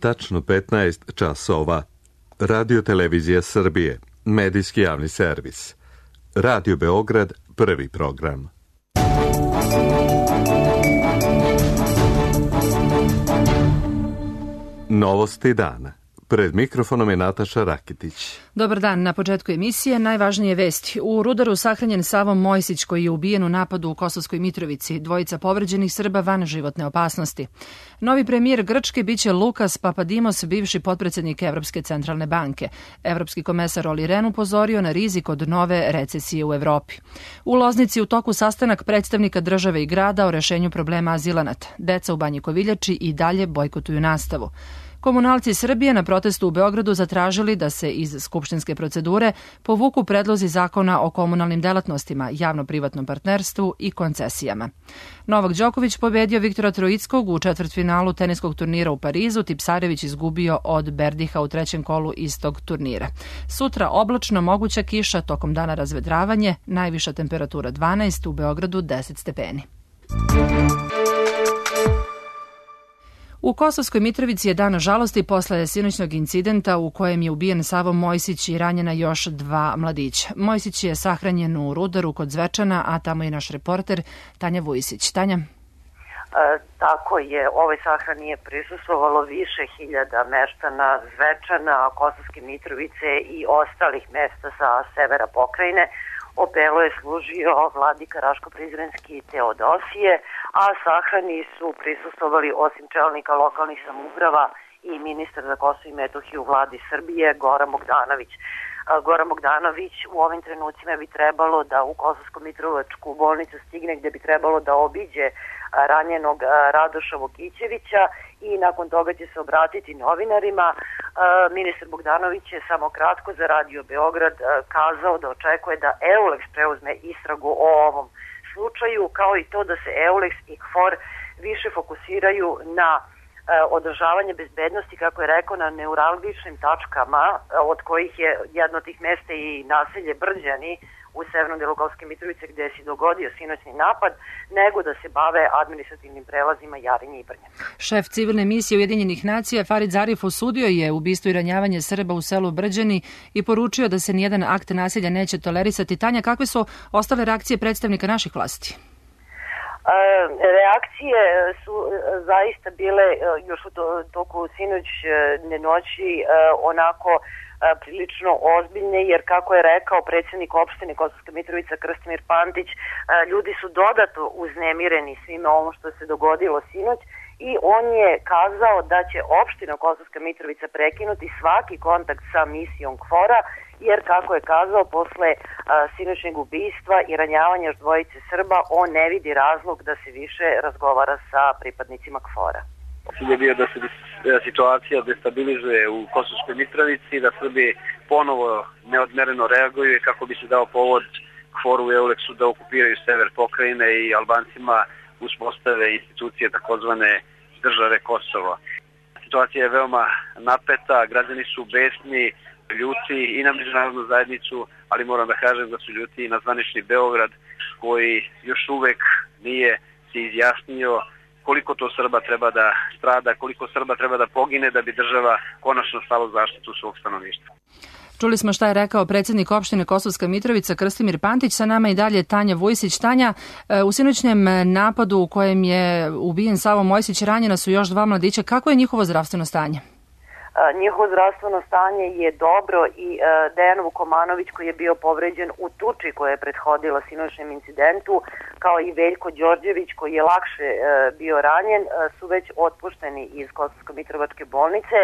tačno 15 časova. Radio Televizija Srbije, medijski javni servis. Radio Beograd, prvi program. Novosti dana. Pred mikrofonom je Nataša Rakitić. Dobar dan. Na početku emisije najvažnije vesti. U Rudaru sahranjen Savo Mojsić koji je ubijen u napadu u Kosovskoj Mitrovici. Dvojica povređenih Srba van životne opasnosti. Novi premijer Grčke biće Lukas Papadimos, bivši potpredsjednik Evropske centralne banke. Evropski komesar Olli Rehn upozorio na rizik od nove recesije u Evropi. U Loznici u toku sastanak predstavnika države i grada o rešenju problema azilanata. Deca u Banji Koviljači i dalje bojkotuju nastavu. Komunalci Srbije na protestu u Beogradu zatražili da se iz skupštinske procedure povuku predlozi zakona o komunalnim delatnostima, javno-privatnom partnerstvu i koncesijama. Novak Đoković pobedio Viktora Troickog u četvrtfinalu teniskog turnira u Parizu, Tipsarević izgubio od Berdiha u trećem kolu istog turnira. Sutra oblačno, moguća kiša, tokom dana razvedravanje, najviša temperatura 12, u Beogradu 10 stepeni. U Kosovskoj Mitrovici je dan žalosti posle sinoćnog incidenta u kojem je ubijen Savo Mojsić i ranjena još 2 mladića. Mojsić je sahranjen u Rudaru kod Zvečana, a tamo je naš reporter Tanja Vujsić. Tanja? Tako je, ovoj sahrani je prisustvovalo više hiljada meštana Zvečana, Kosovske Mitrovice i ostalih mesta sa severa pokrajine. Opelo je služio vladika Raško-Prizrenski Teodosije, a sahrani su prisustvovali osim čelnika lokalnih samouprava i ministar za Kosovo i Metohiju u vladi Srbije Goran Bogdanović. Goran Bogdanović u ovim trenucima bi trebalo da u Kosovsko-Mitrovačku bolnicu stigne gde bi trebalo da obiđe ranjenog Radoša Vokićevića i nakon toga će se obratiti novinarima. Ministar Bogdanović je samo kratko za Radio Beograd kazao da očekuje da EULEX preuzme istragu o ovom slučaju, kao i to da se EULEX i KFOR više fokusiraju na održavanje bezbednosti, kako je rekao, na neuralgičnim tačkama, od kojih je jedno od tih mesta i naselje Brđani u severnom delu Kosovske Mitrovice gde se dogodio sinoćni napad, nego da se bave administrativnim prelazima Jarinje i Brnje. Šef civilne misije Ujedinjenih nacija Farid Zarif osudio je ubistvo i ranjavanje Srba u selu Brđani i poručio da se nijedan akt nasilja neće tolerisati. Tanja, kakve su ostale reakcije predstavnika naših vlasti? Reakcije su zaista bile još u toku sinoćne noći onako prilično ozbiljne, jer kako je rekao predsjednik opštine Kosovska Mitrovica Krstimir Pantić, ljudi su dodatno uznemireni svime ovo što se dogodilo sinoć i on je kazao da će opština Kosovska Mitrovica prekinuti svaki kontakt sa misijom KFOR-a, jer kako je kazao, posle sinoćnjeg ubistva i ranjavanja još dvojice Srba, on ne vidi razlog da se više razgovara sa pripadnicima KFOR-a. Cilj je bio da se situacija destabilizuje u Kosovskoj Mitrovici, da Srbi ponovo neodmereno reaguju kako bi se dao povod KFOR-u i EULEX-u da okupiraju sever pokrajine i Albancima uspostave institucije takozvane države Kosovo. Situacija je veoma napeta, građani su besni, ljuti i na međunarodnu zajednicu, ali moram da kažem da su ljuti i na zvanični Beograd koji još uvek nije se izjasnio koliko to Srba treba da strada, koliko Srba treba da pogine da bi država konačno stala u zaštitu svog stanovništva. Čuli smo šta je rekao predsjednik opštine Kosovska Mitrovica Krstimir Pantić, sa nama i dalje Tanja Vujsić. Tanja, u sinoćnjem napadu u kojem je ubijen Savo Mojsić ranjena su još 2 mladića. Kako je njihovo zdravstveno stanje? Njihovo zdravstveno stanje je dobro i Dejan Vukomanović koji je bio povređen u tuči koja je prethodila sinoćnjem incidentu, kao i Veljko Đorđević koji je lakše bio ranjen, su već otpušteni iz Kosovsko-Mitrovačke bolnice,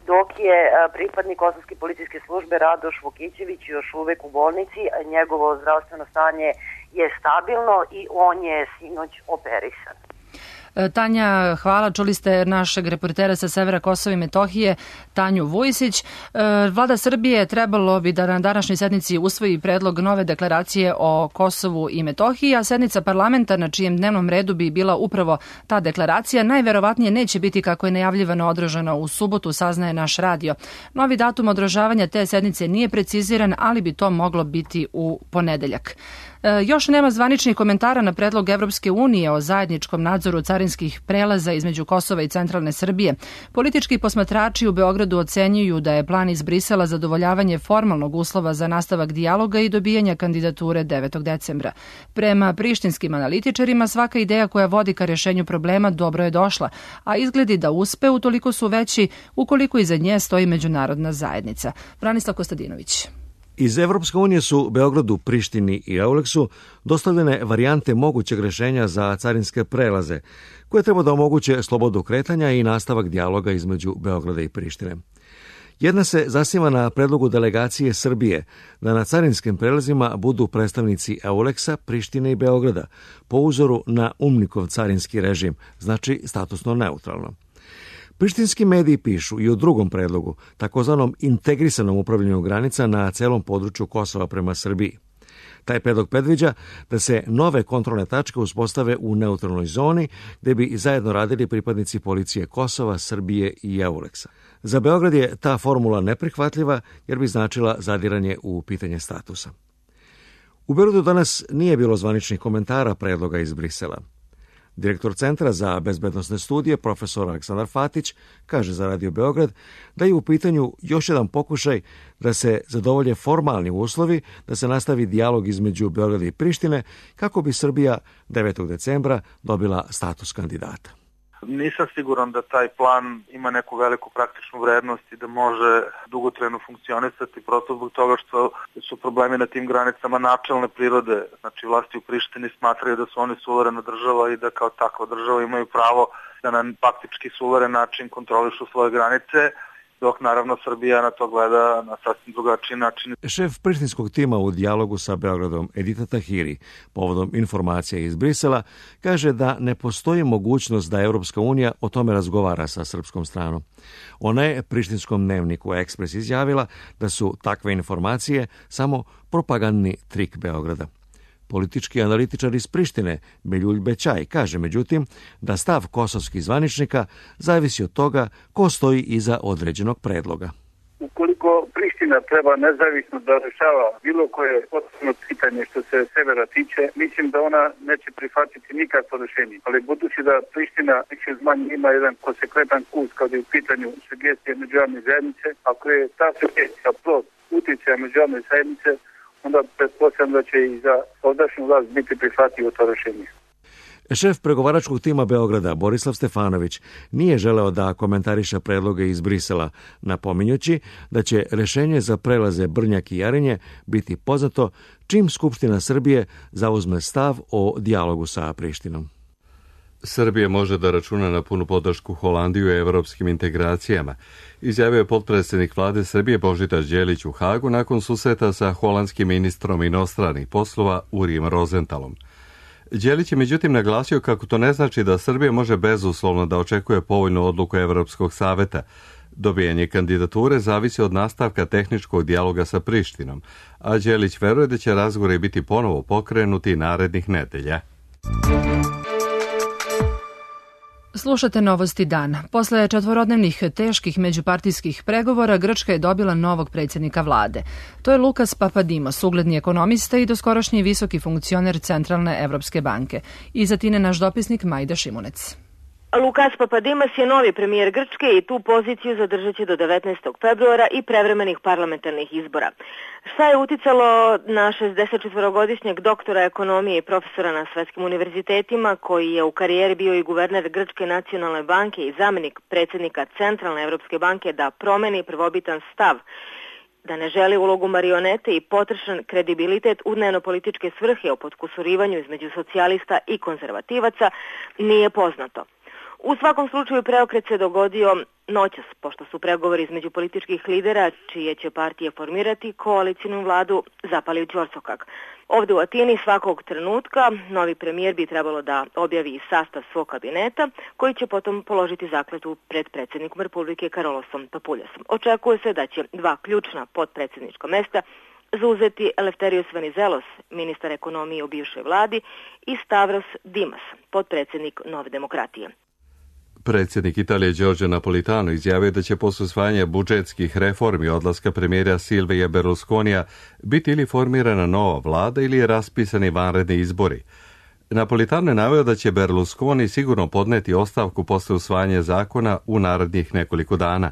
dok je pripadnik Kosovske policijske službe Radoš Vokićević još uvek u bolnici, njegovo zdravstveno stanje je stabilno i on je sinoć operisan. Tanja, hvala. Čuli ste našeg reportera sa severa Kosova i Metohije, Tanju Vujsić. Vlada Srbije trebalo bi da na današnjoj sednici usvoji predlog nove deklaracije o Kosovu i Metohiji, a sednica parlamenta na čijem dnevnom redu bi bila upravo ta deklaracija najverovatnije neće biti kako je najavljivano održano u subotu, saznaje naš radio. Novi datum održavanja te sednice nije preciziran, ali bi to moglo biti u ponedeljak. Još nema zvaničnih komentara na predlog Evropske unije o zajedničkom nadzoru carinskih prelaza između Kosova i centralne Srbije. Politički posmatrači u Beogradu ocenjuju da je plan iz Brisela zadovoljavanje formalnog uslova za nastavak dijaloga i dobijanja kandidature 9. decembra. Prema prištinskim analitičarima, svaka ideja koja vodi ka rješenju problema dobro je došla, a izgledi da uspe utoliko su veći ukoliko iza nje stoji međunarodna zajednica. Branislav Kostadinović. Iz Evropske unije su Beogradu, Prištini i Euleksu dostavljene varijante mogućeg rješenja za carinske prelaze, koje treba da omoguće slobodu kretanja i nastavak dijaloga između Beograda i Prištine. Jedna se zasniva na predlogu delegacije Srbije da na carinskim prelazima budu predstavnici Euleksa, Prištine i Beograda, po uzoru na UNMIK-ov carinski režim, znači statusno neutralno. Prištinski mediji pišu i o drugom predlogu, takozvanom integrisanom upravljanju granica na celom području Kosova prema Srbiji. Taj predlog predviđa da se nove kontrolne tačke uspostave u neutralnoj zoni, gde bi zajedno radili pripadnici policije Kosova, Srbije i Euleksa. Za Beograd je ta formula neprihvatljiva jer bi značila zadiranje u pitanje statusa. U Beogradu danas nije bilo zvaničnih komentara predloga iz Brisela. Direktor Centra za bezbednosne studije, profesor Aleksandar Fatić, kaže za Radio Beograd da je u pitanju još jedan pokušaj da se zadovolje formalni uslovi, da se nastavi dijalog između Beograda i Prištine kako bi Srbija 9. decembra dobila status kandidata. Nisam siguran da taj plan ima neku veliku praktičnu vrednost i da može dugotrajno funkcionisati, prosto zbog toga što su problemi na tim granicama načelne prirode. Znači, vlasti u Prištini smatraju da su oni suverena država i da kao takva država imaju pravo da na faktički suveren način kontrolišu svoje granice, dok naravno Srbija na to gleda na sasvim drugačiji način. Šef prištinskog tima u dijalogu sa Beogradom, Edita Tahiri, povodom informacija iz Brisela, kaže da ne postoji mogućnost da Evropska unija o tome razgovara sa srpskom stranom. Ona je prištinskom dnevniku Ekspres izjavila da su takve informacije samo propagandni trik Beograda. Politički analitičar iz Prištine, Beljulj Bećaj, kaže međutim da stav kosovskih zvaničnika zavisi od toga ko stoji iza određenog predloga. Ukoliko Priština treba nezavisno da rešava bilo koje potpuno pitanje što se severa tiče, mislim da ona neće prihvatiti nikakvo rešenje. Ali budući da Priština više zmanje ima jedan konsekventan kurs kad je u pitanju sugestije međunarodne zajednice, ako je ta sugestija plod uticaja međunarodne zajednice, onda pretpostavljam da će i za ovdašnju vlast biti prihvatljivo to rešenje. Šef pregovaračkog tima Beograda, Borislav Stefanović, nije želeo da komentariše predloge iz Brisela, napominjući da će rešenje za prelaze Brnjak i Jarinje biti poznato čim Skupština Srbije zauzme stav o dijalogu sa Prištinom. Srbija može da računa na punu podršku Holandiju u evropskim integracijama, izjavio je potpredsjednik vlade Srbije Božidar Đelić u Hagu nakon susreta sa holandskim ministrom inostranih poslova Urijem Rozenthalom. Đelić je međutim naglasio kako to ne znači da Srbija može bezuslovno da očekuje povoljnu odluku Evropskog saveta. Dobijanje kandidature zavisi od nastavka tehničkog dijaloga sa Prištinom, a Đelić veruje da će razgovori biti ponovo pokrenuti narednih nedelja. Slušate Novosti dan. Posle četvorodnevnih teških međupartijskih pregovora, Grčka je dobila novog predsjednika vlade. To je Lukas Papadimos, ugledni ekonomista i doskorašnji visoki funkcioner Centralne Evropske banke. Iz Atine naš dopisnik Majda Šimunec. Lukas Papadimos je novi premijer Grčke i tu poziciju zadržat će do 19. februara i prevremenih parlamentarnih izbora. Šta je uticalo na 64-godišnjeg doktora ekonomije i profesora na svetskim univerzitetima, koji je u karijeri bio i guverner Grčke nacionalne banke i zamjenik predsjednika Centralne Evropske banke, da promeni prvobitan stav, da ne želi ulogu marionete i potrošen kredibilitet u dnevno-političke svrhe o potkusurivanju između socijalista i konzervativaca, nije poznato. U svakom slučaju preokret se dogodio noćas, pošto su pregovori između političkih lidera, čije će partije formirati koalicijnu vladu, zapali u ćorsokak. Ovdje u Atini svakog trenutka novi premijer bi trebalo da objavi sastav svog kabineta, koji će potom položiti zakletvu pred predsjednikom Republike Karolosom Papuljasom. Očekuje se da će dva ključna potpredsjednička mesta zauzeti Eleftherios Venizelos, ministar ekonomije u bivšoj vladi, i Stavros Dimas, potpredsjednik Nove demokratije. Predsjednik Italije Giorgio Napolitano izjavio da će posle usvajanja budžetskih reformi odlaska premijera Silvija Berlusconija biti ili formirana nova vlada ili je raspisani vanredni izbori. Napolitano je naveo da će Berlusconi sigurno podneti ostavku posle usvajanja zakona u narednih nekoliko dana.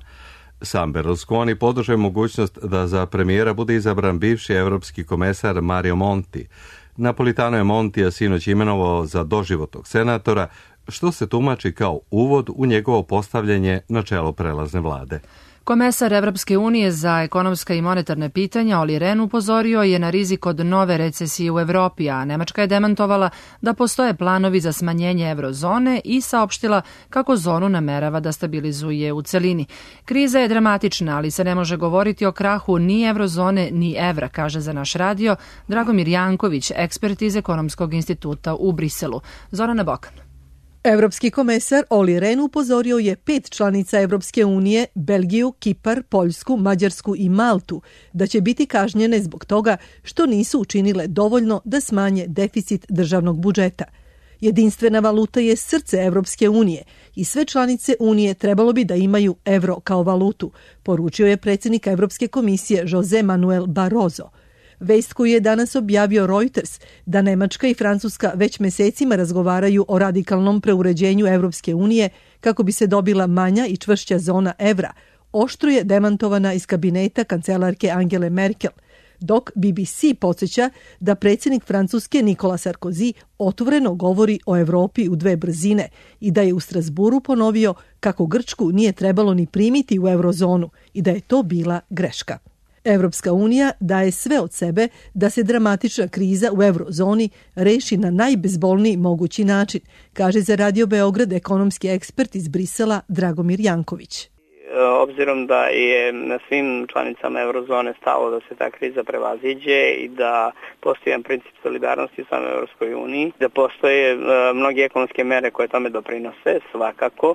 Sam Berlusconi podržao mogućnost da za premijera bude izabran bivši evropski komesar Mario Monti. Napolitano je Montija sinoć imenovao za doživotnog senatora, što se tumači kao uvod u njegovo postavljanje na čelo prelazne vlade. Komesar Evropske unije za ekonomska i monetarne pitanja Olli Rehn upozorio je na rizik od nove recesije u Evropi, a Nemačka je demantovala da postoje planovi za smanjenje eurozone i saopštila kako zonu namerava da stabilizuje u celini. Kriza je dramatična, ali se ne može govoriti o krahu ni eurozone ni evra, kaže za naš radio Dragomir Janković, ekspert iz Ekonomskog instituta u Briselu. Zorana Bokan. Evropski komesar Olli Rehn upozorio je 5 članica Evropske unije, Belgiju, Kipar, Poljsku, Mađarsku i Maltu, da će biti kažnjene zbog toga što nisu učinile dovoljno da smanje deficit državnog budžeta. Jedinstvena valuta je srce Evropske unije i sve članice unije trebalo bi da imaju evro kao valutu, poručio je predsjednik Evropske komisije José Manuel Barroso. Vest koju je danas objavio Reuters, da Nemačka i Francuska već mesecima razgovaraju o radikalnom preuređenju Evropske unije kako bi se dobila manja i čvršća zona evra, oštro je demantovana iz kabineta kancelarke Angele Merkel, dok BBC podsjeća da predsjednik Francuske Nikola Sarkozy otvoreno govori o Evropi u 2 brzine i da je u Strasburu ponovio kako Grčku nije trebalo ni primiti u eurozonu i da je to bila greška. Evropska unija daje sve od sebe da se dramatična kriza u eurozoni reši na najbezbolniji mogući način, kaže za Radio Beograd ekonomski ekspert iz Brisela Dragomir Janković. Obzirom da je na svim članicama eurozone stalo da se ta kriza prevaziđe i da postoji jedan princip solidarnosti u samoj Evropskoj uniji, da postoje mnoge ekonomske mere koje tome doprinose, svakako.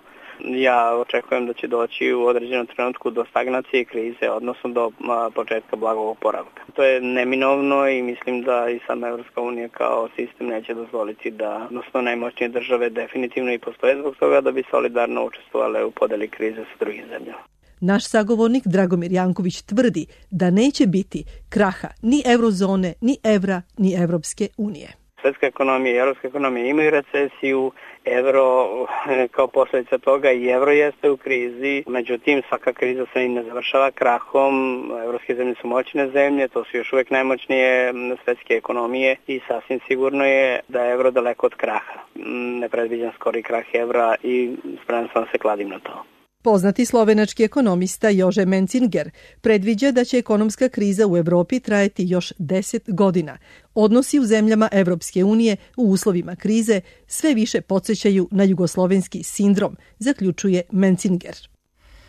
Ja očekujem da će doći u određenom trenutku do stagnacije krize, odnosno do početka blagog oporavka. To je neminovno i mislim da i sama Evropska unija kao sistem neće dozvoliti da, odnosno najmoćnije države definitivno i postoje zbog toga da bi solidarno učestvovale u podeli krize sa drugim zemljama. Naš sagovornik Dragomir Janković tvrdi da neće biti kraha ni eurozone, ni evra, ni Evropske unije. Svetska ekonomija i evropska ekonomija imaju recesiju, evro kao posljedica toga i evro jeste u krizi, međutim svaka kriza se ne završava krahom, evropske zemlje su moćne zemlje, to su još uvijek najmoćnije svetske ekonomije i sasvim sigurno je da je evro daleko od kraha. Ne predviđam skori krah evra i spreman sam se kladim na to. Poznati slovenački ekonomista Jože Mencinger predviđa da će ekonomska kriza u Evropi trajati još 10 godina. Odnosi u zemljama Evropske unije u uslovima krize sve više podsjećaju na jugoslovenski sindrom, zaključuje Mencinger.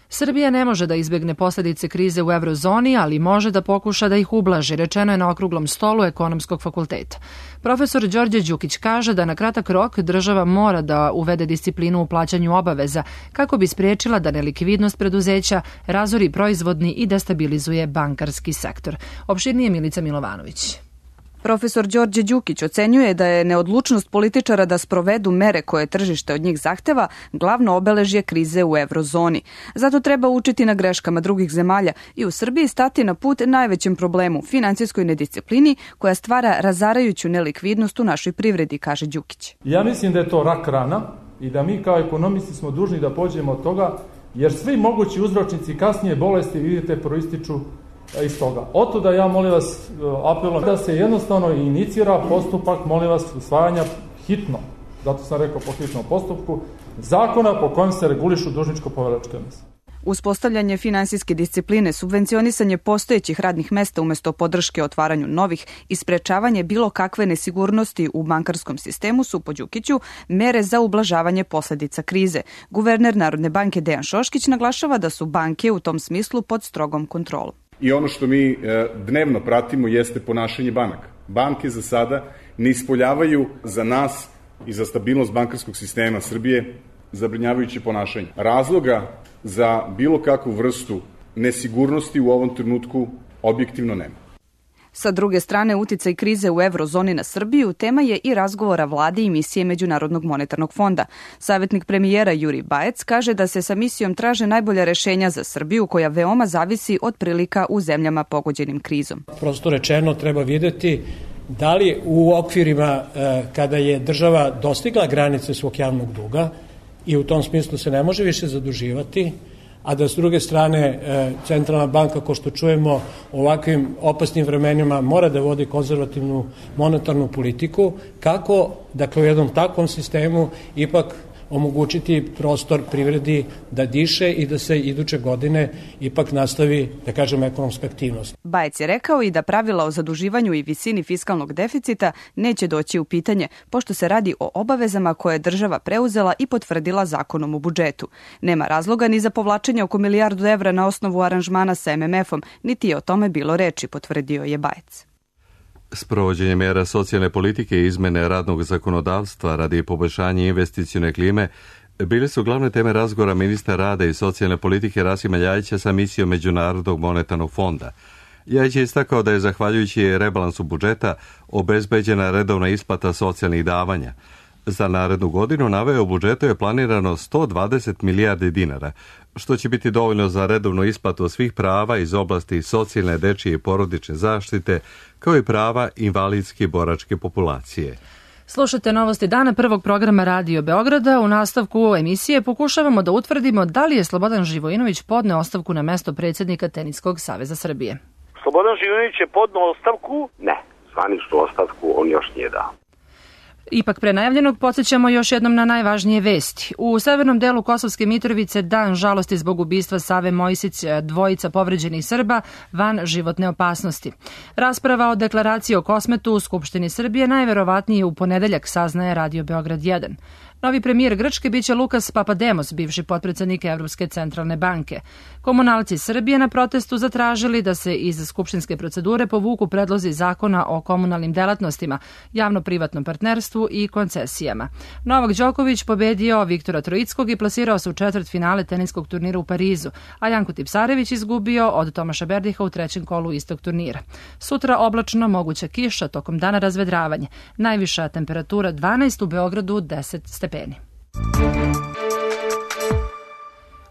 Srbija ne može da izbegne posljedice krize u eurozoni, ali može da pokuša da ih ublaži, rečeno je na okruglom stolu Ekonomskog fakulteta. Profesor Đorđe Đukić kaže da na kratak rok država mora da uvede disciplinu u plaćanju obaveza kako bi spriječila da nelikvidnost preduzeća razori proizvodni i destabilizuje bankarski sektor. Opširnije Milica Milovanović. Profesor Đorđe Đukić ocenjuje da je neodlučnost političara da sprovedu mere koje tržište od njih zahteva glavno obeležje krize u eurozoni. Zato treba učiti na greškama drugih zemalja i u Srbiji stati na put najvećem problemu, finansijskoj nedisciplini koja stvara razarajuću nelikvidnost u našoj privredi, kaže Đukić. Ja mislim da je to rak rana i da mi kao ekonomisti smo dužni da pođemo od toga, jer svi mogući uzročnici kasnije bolesti, vidite, proističu iz toga. Oto da ja molim vas apelujem da se jednostavno inicira postupak, molim vas, usvajanja hitno, zato sam rekao po hitnom postupku, zakona po kojem se regulišu dužničko-poverilačke odnose. Uspostavljanje finansijske discipline, subvencionisanje postojećih radnih mesta umjesto podrške otvaranju novih i sprečavanje bilo kakve nesigurnosti u bankarskom sistemu su po Đukiću mere za ublažavanje posljedica krize. Guverner Narodne banke Dejan Šoškić naglašava da su banke u tom smislu pod strogom kontrolom. I ono što mi dnevno pratimo jeste ponašanje banaka. Banke za sada ne ispoljavaju za nas i za stabilnost bankarskog sistema Srbije zabrinjavajuće ponašanje. Razloga za bilo kakvu vrstu nesigurnosti u ovom trenutku objektivno nema. Sa druge strane, uticaj krize u eurozoni na Srbiju tema je i razgovora vlade i misije Međunarodnog monetarnog fonda. Savjetnik premijera Jurij Bajec kaže da se sa misijom traže najbolja rešenja za Srbiju koja veoma zavisi od prilika u zemljama pogođenim krizom. Prosto rečeno treba videti da li u okvirima kada je država dostigla granice svog javnog duga i u tom smislu se ne može više zaduživati, a da s druge strane centralna banka, ko što čujemo, u ovakvim opasnim vremenima mora da vodi konzervativnu monetarnu politiku, kako, dakle, u jednom takvom sistemu ipak omogućiti prostor privredi da diše i da se iduće godine ipak nastavi, da kažem, ekonomska aktivnost. Bajec je rekao i da pravila o zaduživanju i visini fiskalnog deficita neće doći u pitanje, pošto se radi o obavezama koje je država preuzela i potvrdila zakonom o budžetu. Nema razloga ni za povlačenje oko milijardu evra na osnovu aranžmana sa MMF-om, niti je o tome bilo reči, potvrdio je Bajec. Sprovođenje mera socijalne politike i izmene radnog zakonodavstva radi poboljšanja investicione klime bile su glavne teme razgovora ministra rada i socijalne politike Rasima Ljajića sa misijom Međunarodnog monetarnog fonda. Ljajić je istakao da je zahvaljujući rebalansu budžeta obezbeđena redovna isplata socijalnih davanja. Za narednu godinu naveo u budžetu je planirano 120 milijardi dinara, što će biti dovoljno za redovnu isplatu svih prava iz oblasti socijalne, dečije i porodične zaštite, kao i prava invalidske i boračke populacije. Slušate novosti dana prvog programa Radio Beograda. U nastavku emisije pokušavamo da utvrdimo da li je Slobodan Živojinović podneo ostavku na mesto predsjednika Teniskog saveza Srbije. Slobodan Živojinović je podneo ostavku? Ne, zvaničnu ostavku on još nije dao. Ipak pre najavljenog podsjećamo još jednom na najvažnije vesti. U severnom delu Kosovske Mitrovice dan žalosti zbog ubistva Save Mojsića, dvojica povređenih Srba van životne opasnosti. Rasprava o deklaraciji o Kosmetu u Skupštini Srbije najverovatnije u ponedeljak, saznaje Radio Beograd 1. Novi premijer Grčke biće Lukas Papademos, bivši potpredsednik Evropske centralne banke. Komunalci Srbije na protestu zatražili da se iz skupštinske procedure povuku predlozi zakona o komunalnim delatnostima, javno-privatnom partnerstvu i koncesijama. Novak Đoković pobedio Viktora Troickog i plasirao se u četvrtfinale teniskog turnira u Parizu, a Janko Tipsarević izgubio od Tomaša Berdiha u trećem kolu istog turnira. Sutra oblačno, moguća kiša, tokom dana razvedravanje. Najviša temperatura 12, u Beogradu 10 stepeni.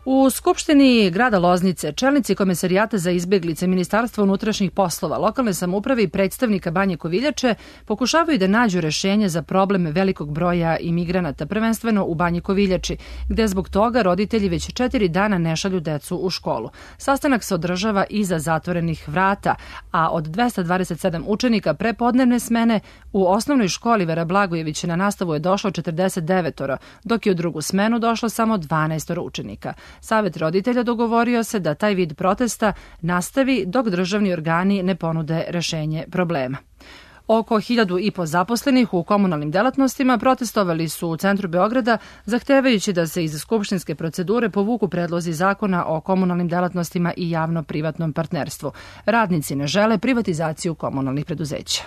U Skupštini grada Loznice čelnici Komesarijata za izbjeglice, Ministarstva unutrašnjih poslova, lokalne samouprave i predstavnika Banje Koviljače pokušavaju da nađu rešenje za problem velikog broja imigranata, prvenstveno u Banji Koviljači, gde zbog toga roditelji već 4 dana ne šalju decu u školu. Sastanak se održava iza zatvorenih vrata, a od 227 učenika prepodnevne smene u osnovnoj školi Vera Blagojević na nastavu je došlo 49, dok je u drugu smenu došlo samo 12 učenika. Savet roditelja dogovorio se da taj vid protesta nastavi dok državni organi ne ponude rešenje problema. Oko 1.500 zaposlenih u komunalnim delatnostima protestovali su u centru Beograda, zahtevajući da se iz skupštinske procedure povuku predlozi zakona o komunalnim delatnostima i javno-privatnom partnerstvu. Radnici ne žele privatizaciju komunalnih preduzeća.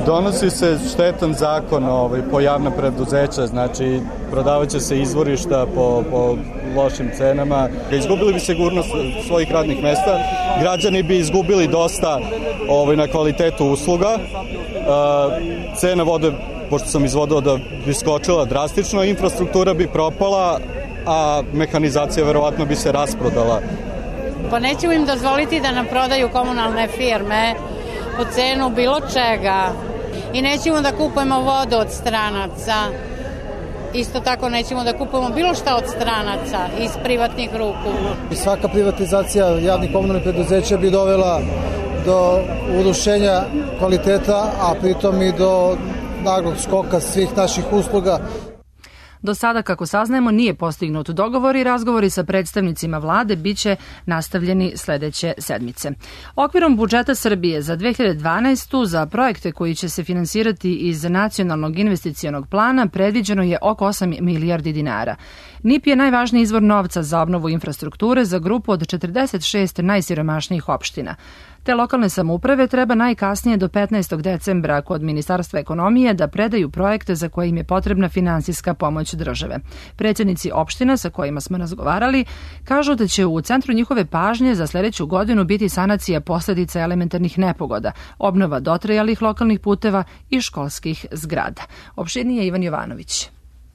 Donosi se štetan zakon po javna preduzeća, znači prodavat će se izvorišta po lošim cenama. Izgubili bi sigurnost svojih radnih mesta, građani bi izgubili dosta na kvalitetu usluga, cena vode, pošto sam iz vodovoda, bi skočila drastično, infrastruktura bi propala, a mehanizacija verovatno bi se rasprodala. Pa nećemo im dozvoliti da nam prodaju komunalne firme po cenu bilo čega i nećemo da kupujemo vodu od stranaca. Isto tako nećemo da kupujemo bilo šta od stranaca iz privatnih ruku. Svaka privatizacija javnih komunalnih preduzeća bi dovela do urušenja kvaliteta, a pritom i do naglog skoka svih naših usluga. Do sada, kako saznajemo, nije postignut dogovor i razgovori sa predstavnicima vlade biće nastavljeni sledeće sedmice. Okvirom budžeta Srbije za 2012. za projekte koji će se finansirati iz Nacionalnog investicionog plana predviđeno je oko 8 milijardi dinara. NIP je najvažniji izvor novca za obnovu infrastrukture za grupu od 46 najsiromašnijih opština. Te lokalne samouprave treba najkasnije do 15. decembra kod Ministarstva ekonomije da predaju projekte za koje im je potrebna finansijska pomoć države. Predsjednici opština sa kojima smo razgovarali kažu da će u centru njihove pažnje za sljedeću godinu biti sanacija posljedica elementarnih nepogoda, obnova dotrajalih lokalnih puteva i školskih zgrada. Opštinije Ivan Jovanović.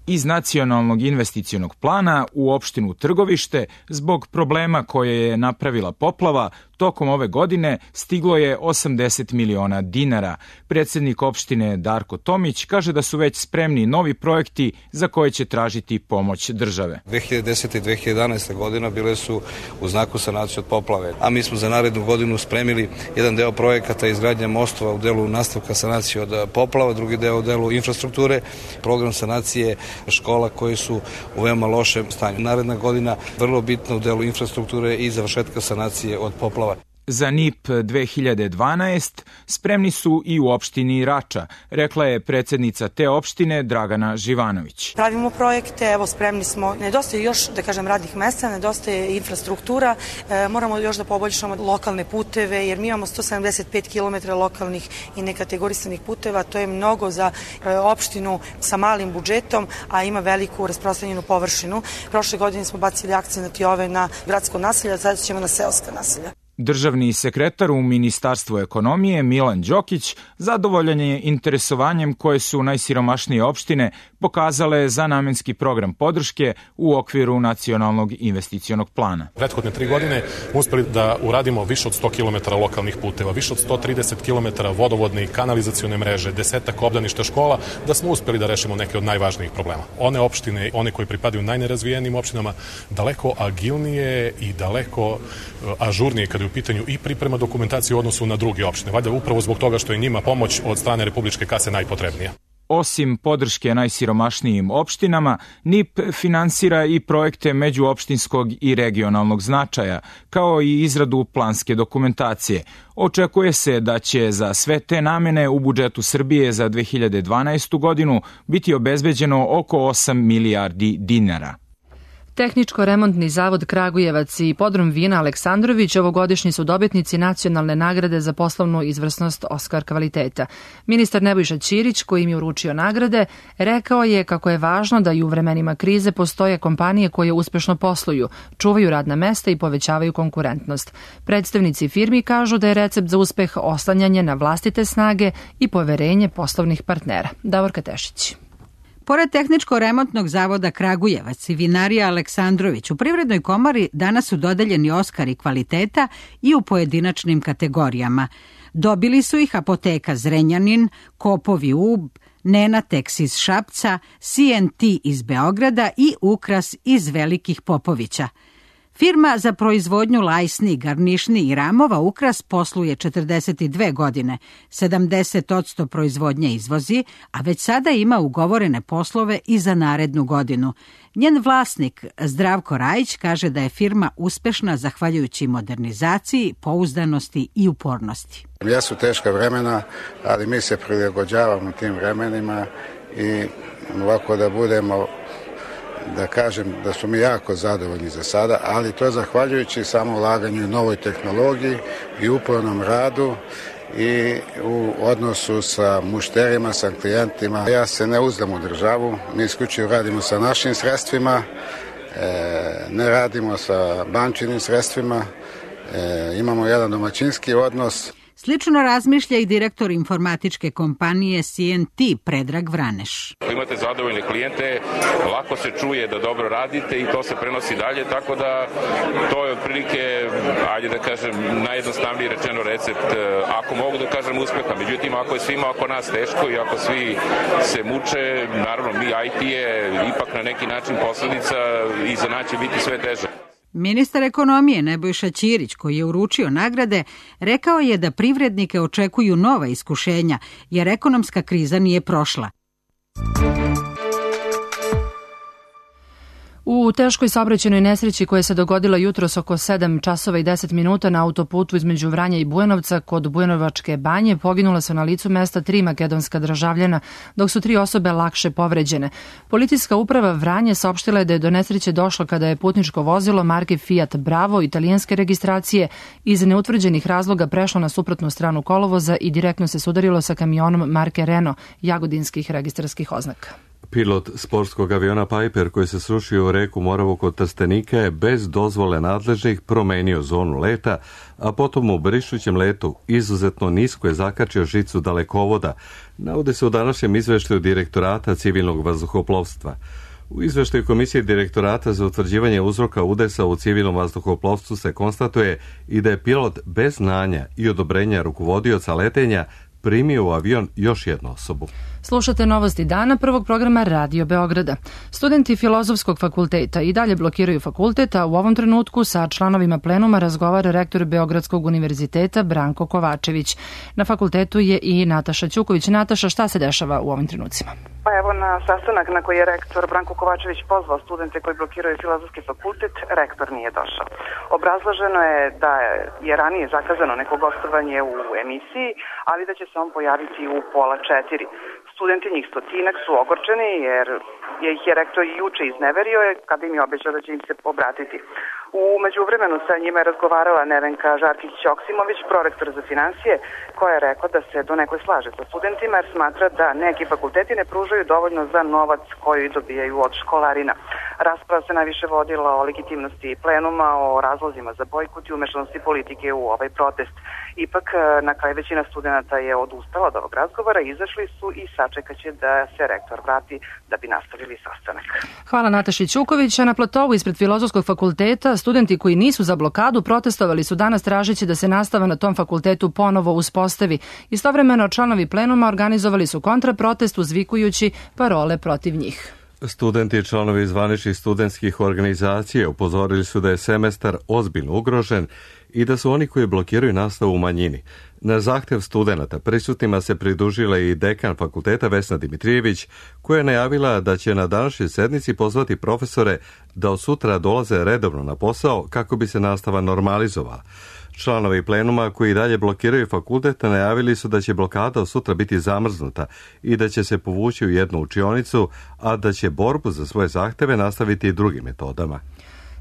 Iz nacionalnog investicionog plana u opštinu Trgovište zbog problema koje je napravila poplava tokom ove godine stiglo je 80 miliona dinara. Predsjednik opštine Darko Tomić kaže da su već spremni novi projekti za koje će tražiti pomoć države. 2010. i 2011. godina bile su u znaku sanacije od poplave, a mi smo za narednu godinu spremili jedan deo projekata izgradnje mostova u delu nastavka sanacije od poplava, drugi deo u delu infrastrukture, program sanacije škola koje su u veoma lošem stanju. Naredna godina vrlo bitna u delu infrastrukture i završetka sanacije od poplava. Za NIP 2012 spremni su i u opštini Rača, rekla je predsjednica te opštine Dragana Živanović. Pravimo projekte, evo spremni smo, nedostaje još, da kažem, radnih mesta, nedostaje infrastruktura, moramo još da poboljšamo lokalne puteve, jer mi imamo 175 km lokalnih i nekategorisanih puteva, to je mnogo za opštinu sa malim budžetom, a ima veliku rasprostranjenu površinu. Prošle godine smo bacili akcenat i ove na gradsko naselje, a sada ćemo na seoska naselja. Državni sekretar u Ministarstvu ekonomije Milan Đokić zadovoljan je interesovanjem koje su najsiromašnije opštine pokazale za namenski program podrške u okviru nacionalnog investicionog plana. Prethodne 3 godine uspeli da uradimo više od 100 km lokalnih puteva, više od 130 km vodovodne i kanalizacione mreže, 10-ak obdaništa škola, da smo uspeli da rešimo neke od najvažnijih problema. One opštine, one koje pripadaju najnerazvijenijim opštinama, daleko agilnije i daleko ažurnije kada je u pitanju i priprema dokumentacije u odnosu na druge opštine. Valjda upravo zbog toga što je njima pomoć od strane Republičke kase najpotrebnija. Osim podrške najsiromašnijim opštinama, NIP finansira i projekte međuopštinskog i regionalnog značaja, kao i izradu planske dokumentacije. Očekuje se da će za sve te namene u budžetu Srbije za 2012. godinu biti obezbeđeno oko 8 milijardi dinara. Tehničko-remontni zavod Kragujevac i podrum vina Aleksandrović ovogodišnji su dobitnici nacionalne nagrade za poslovnu izvrsnost Oskar kvaliteta. Ministar Nebojša Ćirić, koji im je uručio nagrade, rekao je kako je važno da i u vremenima krize postoje kompanije koje uspešno posluju, čuvaju radna mesta i povećavaju konkurentnost. Predstavnici firmi kažu da je recept za uspeh oslanjanje na vlastite snage i poverenje poslovnih partnera. Davorka Tešić. Pored Tehničko-remontnog zavoda Kragujevac i vinarija Aleksandrović, u Privrednoj komori danas su dodeljeni Oskari kvaliteta i u pojedinačnim kategorijama. Dobili su ih Apoteka Zrenjanin, Kopovi Ub, Nenatex iz Šapca, CNT iz Beograda i Ukras iz Velikih Popovića. Firma za proizvodnju lajsni, garnišni i ramova Ukras posluje 42 godine, 70% proizvodnje izvozi, a već sada ima ugovorene poslove i za narednu godinu. Njen vlasnik Zdravko Rajić kaže da je firma uspešna zahvaljujući modernizaciji, pouzdanosti i upornosti. Jesu teška vremena, ali mi se prilagođavamo tim vremenima i ovako da budemo, da kažem da su mi jako zadovoljni za sada, ali to je zahvaljujući samo ulaganju u novoj tehnologiji i upornom radu i u odnosu sa mušterima, sa klijentima. Ja se ne uzdam u državu, mi isključivo radimo sa našim sredstvima, ne radimo sa bančinim sredstvima, imamo jedan domaćinski odnos. Slično razmišlja i direktor informatičke kompanije CNT Predrag Vraneš. Ako imate zadovoljne klijente, lako se čuje da dobro radite i to se prenosi dalje, tako da to je otprilike, ajde da kažem, najjednostavniji rečeno recept, ako mogu da kažem, uspeha. Međutim, ako je svima oko nas teško i ako svi se muče, naravno mi IT je ipak na neki način posledica i za nas će biti sve teže. Ministar ekonomije Nebojša Ćirić, koji je uručio nagrade, rekao je da privrednike očekuju nova iskušenja, jer ekonomska kriza nije prošla. U U teškoj saobraćajnoj nesreći koja se dogodila jutros oko 7 časova i 10 minuta na autoputu između Vranja i Bujanovca kod Bujanovačke banje poginula su na licu mesta 3 makedonska državljana, dok su 3 osobe lakše povređene. Policijska uprava Vranje saopštila je da je do nesreće došlo kada je putničko vozilo marke Fiat Bravo italijanske registracije iz neutvrđenih razloga prešlo na suprotnu stranu kolovoza i direktno se sudarilo sa kamionom marke Renault jagodinskih registarskih oznaka. Pilot sportskog aviona Piper koji se srušio u reku Moravu kod Trstenika je bez dozvole nadležnih promenio zonu leta, a potom u brišućem letu izuzetno nisko je zakačio žicu dalekovoda, navode se u današnjem izveštaju Direktorata civilnog vazduhoplovstva. U izveštaju Komisije Direktorata za utvrđivanje uzroka udesa u civilnom vazduhoplovstvu se konstatuje i da je pilot bez znanja i odobrenja rukovodioca letenja primio u avion još jednu osobu. Slušate novosti dana prvog programa Radio Beograda. Studenti Filozofskog fakulteta i dalje blokiraju fakultet, a u ovom trenutku sa članovima plenuma razgovara rektor Beogradskog univerziteta Branko Kovačević. Na fakultetu je i Nataša Ćuković. Nataša, šta se dešava u ovim trenucima? Pa evo, na sastanak na koji je rektor Branko Kovačević pozvao studente koji blokiraju Filozofski fakultet, rektor nije došao. Obrazloženo je da je ranije zakazano neko gostovanje u emisiji, ali da će se on pojaviti u 3:30. Studenti, njih 100-ak, su ogorčeni jer ih je rektor i juče izneverio kada im je obećao da će im se obratiti. U međuvremenu sa njima je razgovarala Nevenka Žarkić-Joksimović, prorektor za finansije, koja je rekla da se donekle slaže sa studentima jer smatra da neki fakulteti ne pružaju dovoljno za novac koji dobijaju od školarina. Rasprava se najviše vodila o legitimnosti plenuma, o razlozima za bojkot i umešanosti politike u ovaj protest. Ipak, na kraju većina studenta je odustala od ovog razgovora, izašli su i sačekaće da se rektor vrati da bi nastavili sastanak. Hvala Nataši Ćuković. A na platovu ispred Filozofskog fakulteta studenti koji nisu za blokadu protestovali su danas tražeći da se nastava na tom fakultetu ponovo uspostavi. Istovremeno članovi plenuma organizovali su kontraprotest uzvikujući parole protiv njih. Studenti i članovi zvaničnih studentskih organizacija upozorili su da je semestar ozbiljno ugrožen i da su oni koji blokiraju nastavu u manjini. Na zahtev studenata prisutnima se pridružila i dekan fakulteta Vesna Dimitrijević, koja je najavila da će na današnjoj sednici pozvati profesore da od sutra dolaze redovno na posao kako bi se nastava normalizovala. Članovi plenuma koji dalje blokiraju fakultet najavili su da će blokada od sutra biti zamrznuta i da će se povući u jednu učionicu, a da će borbu za svoje zahteve nastaviti i drugim metodama.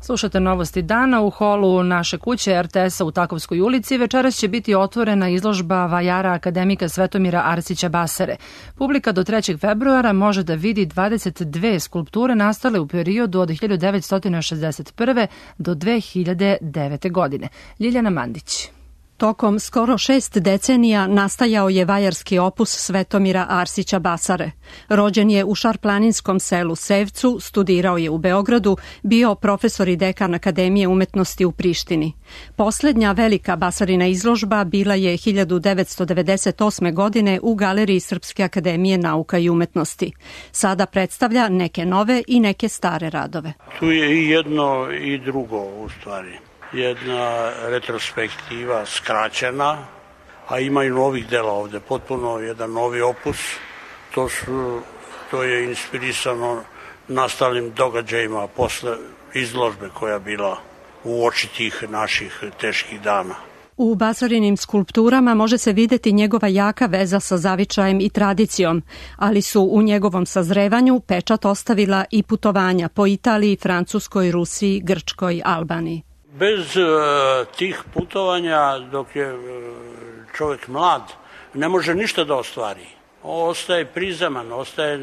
Slušate novosti dana. U holu naše kuće RTS-a u Takovskoj ulici večeras će biti otvorena izložba vajara akademika Svetomira Arsića Basare. Publika do 3. februara može da vidi 22 skulpture nastale u periodu od 1961. do 2009. godine. Ljiljana Mandić. Tokom skoro 6 decenija nastajao je vajarski opus Svetomira Arsića Basare. Rođen je u šarplaninskom selu Sevcu, studirao je u Beogradu, bio profesor i dekan Akademije umetnosti u Prištini. Poslednja velika Basarina izložba bila je 1998. godine u Galeriji Srpske akademije nauka i umetnosti. Sada predstavlja neke nove i neke stare radove. Tu je i jedno i drugo u stvari. Jedna retrospektiva skraćena, a ima i novih dela ovde, potpuno jedan novi opus. To je inspirisano nastalim događajima posle izložbe koja je bila u oči tih naših teških dana. U Basarinim skulpturama može se videti njegova jaka veza sa zavičajem i tradicijom, ali su u njegovom sazrevanju pečat ostavila i putovanja po Italiji, Francuskoj, Rusiji, Grčkoj, Albaniji. Bez tih putovanja, dok je čovjek mlad, ne može ništa da ostvari. Ostaje prizeman, ostaje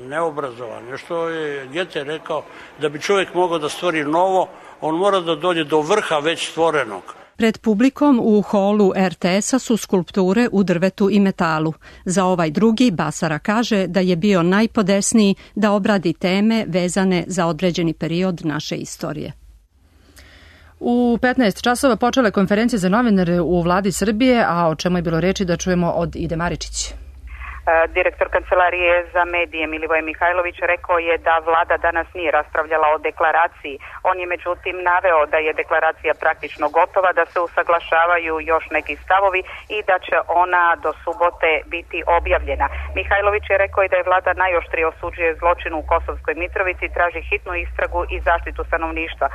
neobrazovan. Još što je Gete rekao, da bi čovjek mogao da stvori novo, on mora da dođe do vrha već stvorenog. Pred publikom u holu RTS-a su skulpture u drvetu i metalu. Za ovaj drugi Basara kaže da je bio najpodesniji da obradi teme vezane za određeni period naše istorije. U 15 časova počela je konferencija za novinare u vladi Srbije, a o čemu je bilo reči da čujemo od Ide Maričić. Direktor Kancelarije za medije Milivoje Mihajlović rekao je da vlada danas nije raspravljala o deklaraciji. On je međutim naveo da je deklaracija praktično gotova, da se usaglašavaju još neki stavovi i da će ona do subote biti objavljena. Mihajlović je rekao i da je vlada najoštrije osuđuje zločin u Kosovskoj Mitrovici, traži hitnu istragu i zaštitu stanovništva.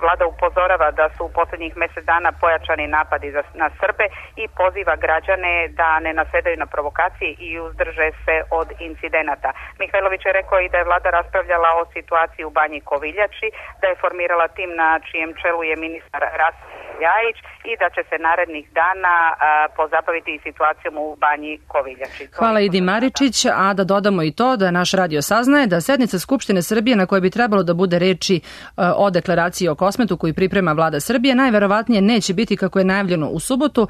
Vlada upozorava da su u posljednjih mjesec dana pojačani napadi na Srbe i poziva građane da ne nasedaju na provokacije i uzdrže se od incidenata. Mihajlović je rekao i da je vlada raspravljala o situaciji u Banji Koviljači, da je formirala tim na čijem čelu je ministar Rasim Ljajić i da će se narednih dana pozabaviti i situacijom u Banji Koviljači. Hvala Idi Maričić, a da dodamo i to da naš radio saznaje da sednica Skupštine Srbije na kojoj bi trebalo da bude reči o deklaraciji o Kosmetu koju priprema vlada Srbije najverovatnije neće biti kako je najavljeno u subotu,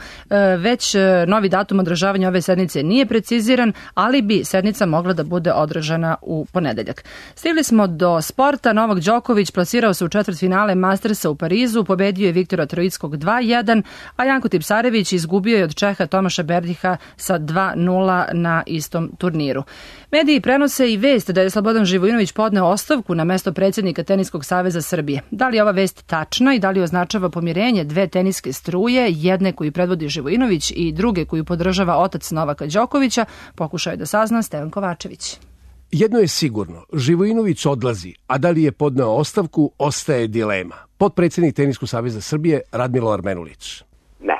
već novi datum održavanja ove sednice nije preciziran, ali bi sednica mogla da bude održana u ponedeljak. Stigli smo do sporta. Novak Đoković plasirao se u četvrtfinale Mastersa u Parizu, pobedio je Viktora Troickog 2-1, a Janko Tipsarević izgubio je od Čeha Tomaša Berdiha sa 2-0 na istom turniru. Mediji prenose i vest da je Slobodan Živojinović podneo ostavku na mesto predsjednika Teniskog saveza Srbije. Da li je ova vest tačna i da li označava pomirenje dve teniske struje, jedne koju predvodi Živojinović i druge koju podržava otac Novaka Đokovića, pokušao je da sazna Stevan Kovačević. Jedno je sigurno, Živojinović odlazi, a da li je podneo ostavku, ostaje dilema. Potpredsjednik Teniskog saveza Srbije Radmilo Armenulić. Ne.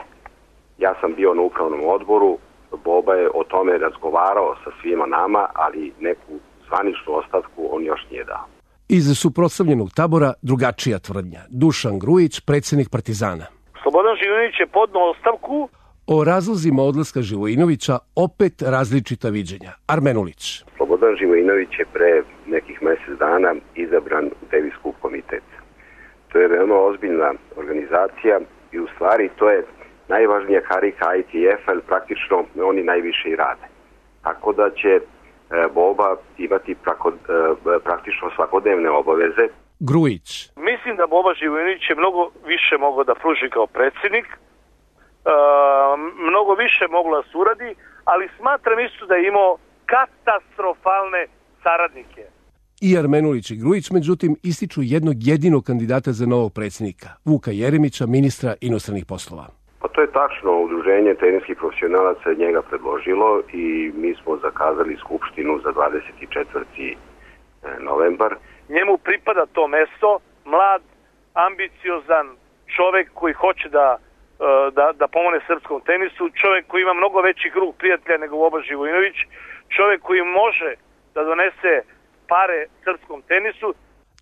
Ja sam bio na upravnom odboru, Boba je o tome razgovarao sa svima nama, ali neku zvaničnu ostavku on još nije dao. Iz suprotstavljenog tabora drugačija tvrdnja. Dušan Grujić, predsjednik Partizana. Slobodan Živojinović je podneo ostavku. O razlozima odlaska Živojinovića opet različita viđenja. Armenulić. Slobodan Živojinović je pre nekih mjesec dana izabran u Davis Cup komitet. To je veoma ozbiljna organizacija i u stvari to je najvažnija karika ITF, ali praktično oni najviše i rade. Tako da će Boba imati praktično svakodnevne obaveze. Grujić. Mislim da Boba Živojinović je mnogo više mogao da pruži kao predsjednik, mnogo više moglo da se uradi, ali smatram isto da je imao katastrofalne saradnike. I Armenulić i Grujić, međutim, ističu jednog jedinog kandidata za novog predsjednika, Vuka Jeremića, ministra inostranih poslova. Pa to je tačno, udruženje teniskih profesionalaca je njega predložilo i mi smo zakazali skupštinu za 24. novembar. Njemu pripada to mesto, mlad, ambiciozan čovek koji hoće da pomogne srpskom tenisu, čovek koji ima mnogo veći krug prijatelja nego Boba Živojinović, čovek koji može da donese pare srpskom tenisu.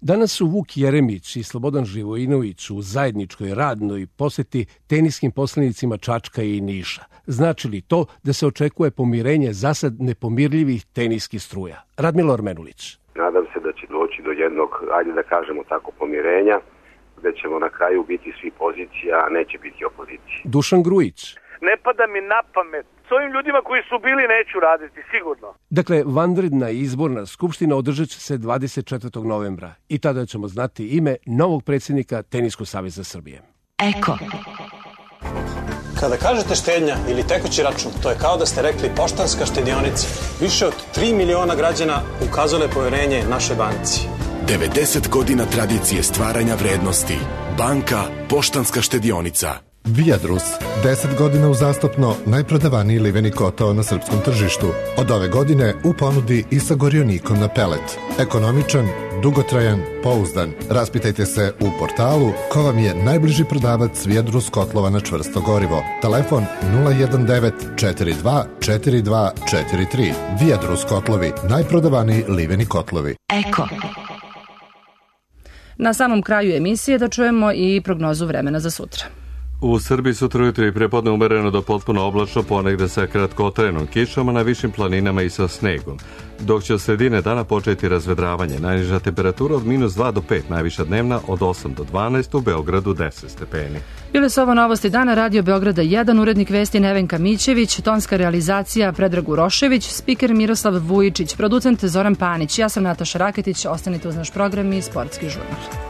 Danas su Vuk Jeremić i Slobodan Živojinović u zajedničkoj radnoj poseti teniskim poslanicima Čačka i Niša. Znači li to da se očekuje pomirenje zasad nepomirljivih teniskih struja? Radmilo Armenulić. Nadam se da će doći do jednog, ajde da kažemo tako, pomirenja, gde ćemo na kraju biti svi pozicija, a neće biti opozicija. Dušan Grujić. Ne pada mi na pamet. S ovim ljudima koji su bili neću raditi, sigurno. Dakle, vanredna izborna skupština održat će se 24. novembra i tada ćemo znati ime novog predsjednika Teniskog saveza Srbije. Eko. Kada kažete štednja ili tekući račun, to je kao da ste rekli Poštanska štedionica. Više od 3 miliona građana ukazale poverenje našoj banci. 90 godina tradicije stvaranja vrednosti. Banka Poštanska štedionica. Viadrus, 10 godina uzastopno najprodavaniji liveni kotao na srpskom tržištu. Od ove godine u ponudi i sa gorionikom na pelet. Ekonomičan, dugotrajan, pouzdan. Raspitajte se u portalu ko vam je najbliži prodavac Viadrus kotlova na čvrsto gorivo. Telefon 019 42 42 43. Viadrus kotlovi, najprodavaniji liveni kotlovi. Eko. Na samom kraju emisije da čujemo i prognozu vremena za sutra. U Srbiji sutra ujutro i prepodne umereno do potpuno oblačno, ponegde sa kratkotrajenom kišama na višim planinama i sa snegom. Dok će od sredine dana početi razvedravanje, najniža temperatura od -2 do 5, najviša dnevna od 8 do 12, u Beogradu 10 stepeni. Bile su ovo novosti dana, Radio Beograda 1, urednik vesti Nevenka Mićević, tonska realizacija Predrag Urošević, spiker Miroslav Vujičić, producent Zoran Panić. Ja sam Nataša Raketić, ostanite uz naš program i sportski žurnal.